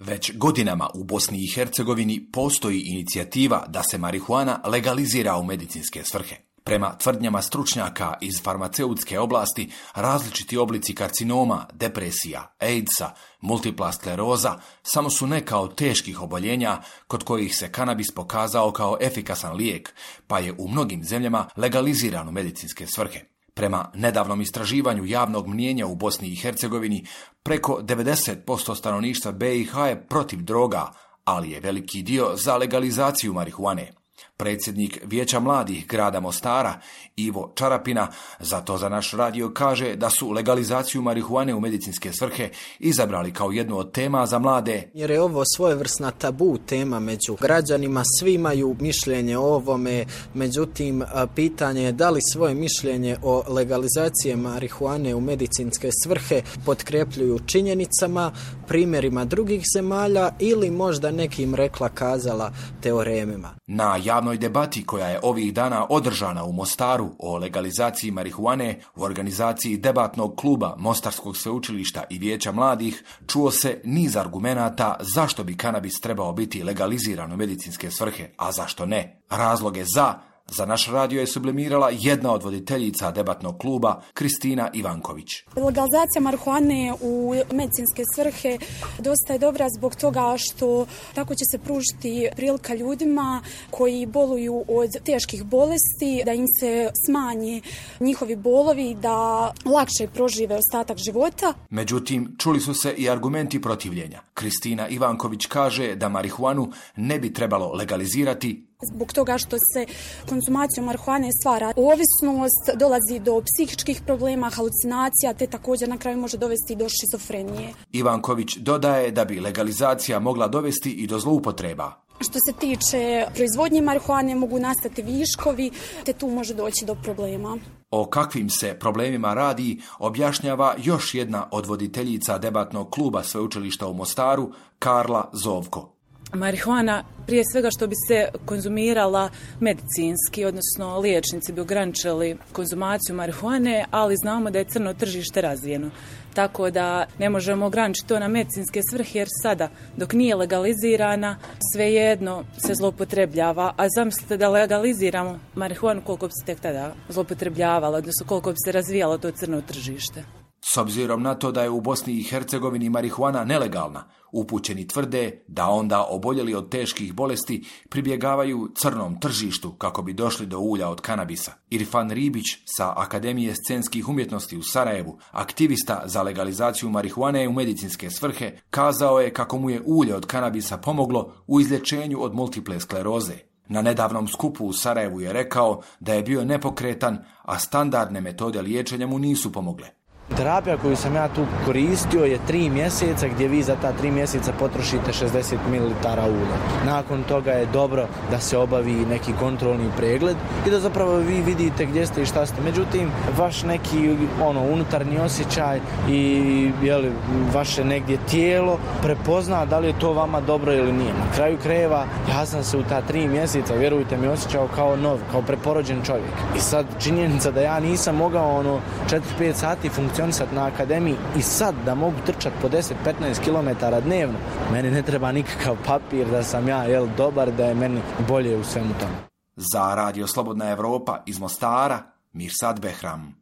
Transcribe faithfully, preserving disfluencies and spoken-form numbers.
Već godinama u Bosni i Hercegovini postoji inicijativa da se marihuana legalizira u medicinske svrhe. Prema tvrdnjama stručnjaka iz farmaceutske oblasti, različiti oblici karcinoma, depresija, AIDS-a, multipla skleroza samo su neka od teških oboljenja kod kojih se kanabis pokazao kao efikasan lijek, pa je u mnogim zemljama legaliziran u medicinske svrhe. Prema nedavnom istraživanju javnog mnijenja u Bosni i Hercegovini, preko devedeset posto stanovništva B i H je protiv droga, ali je veliki dio za legalizaciju marihuane. Predsjednik Vijeća mladih grada Mostara, Ivo Čarapina, zato za naš radio kaže da su legalizaciju marihuane u medicinske svrhe izabrali kao jednu od tema za mlade. Jer je ovo svojevrsna tabu tema među građanima, svi imaju mišljenje o ovome, međutim pitanje je da li svoje mišljenje o legalizaciji marihuane u medicinske svrhe potkrepljuju činjenicama, primjerima drugih zemalja ili možda nekim rekla kazala teoremima. Na javnoj debati koja je ovih dana održana u Mostaru o legalizaciji marihuane u organizaciji debatnog kluba Mostarskog sveučilišta i Vijeća mladih čuo se niz argumenata zašto bi kanabis trebao biti legaliziran u medicinske svrhe, a zašto ne. Razloge za Za naš radio je sublimirala jedna od voditeljica debatnog kluba, Kristina Ivanković. Legalizacija marihuane u medicinske svrhe dosta je dobra zbog toga što tako će se pružiti prilika ljudima koji boluju od teških bolesti, da im se smanji njihovi bolovi, da lakše prožive ostatak života. Međutim, čuli su se i argumenti protivljenja. Kristina Ivanković kaže da marihuanu ne bi trebalo legalizirati zbog toga što se konzumacijom marihuane stvara ovisnost, dolazi do psihičkih problema, halucinacija, te također na kraju može dovesti do šizofrenije. Ivanković dodaje da bi legalizacija mogla dovesti i do zloupotreba. Što se tiče proizvodnje marihuane mogu nastati viškovi, te tu može doći do problema. O kakvim se problemima radi objašnjava još jedna od voditeljica debatnog kluba sveučilišta u Mostaru, Karla Zovko. Marihuana, prije svega što bi se konzumirala medicinski, odnosno liječnici bi ograničili konzumaciju marihuane, ali znamo da je crno tržište razvijeno. Tako da ne možemo ograničiti to na medicinske svrhe jer sada dok nije legalizirana svejedno se zloupotrebljava, a zamislite da legaliziramo marihuanu koliko bi se tek tada zloupotrebljavalo, odnosno koliko bi se razvijalo to crno tržište. S obzirom na to da je u Bosni i Hercegovini marihuana nelegalna, upućeni tvrde da onda oboljeli od teških bolesti pribjegavaju crnom tržištu kako bi došli do ulja od kanabisa. Irfan Ribić sa Akademije scenskih umjetnosti u Sarajevu, aktivista za legalizaciju marihuane u medicinske svrhe, kazao je kako mu je ulje od kanabisa pomoglo u izlječenju od multiple skleroze. Na nedavnom skupu u Sarajevu je rekao da je bio nepokretan, a standardne metode liječenja mu nisu pomogle. Terapija koju sam ja tu koristio je tri mjeseca gdje vi za ta tri mjeseca potrošite šezdeset mililitara ulja. Nakon toga je dobro da se obavi neki kontrolni pregled i da zapravo vi vidite gdje ste i šta ste. Međutim, vaš neki ono unutarnji osjećaj i jeli, vaše negdje tijelo prepozna da li je to vama dobro ili nije. Na kraju krajeva ja sam se u ta tri mjeseca, vjerujte mi, osjećao kao nov, kao preporođen čovjek. I sad činjenica da ja nisam mogao ono četiri pet sati funkcionirati na akademiji i sad da mogu trčati po deset do petnaest kilometara dnevno, meni ne treba nikakav papir da sam ja jel, dobar, da je meni bolje u svemu tome. Za Radio Slobodna Evropa iz Mostara, Mirsad Behram.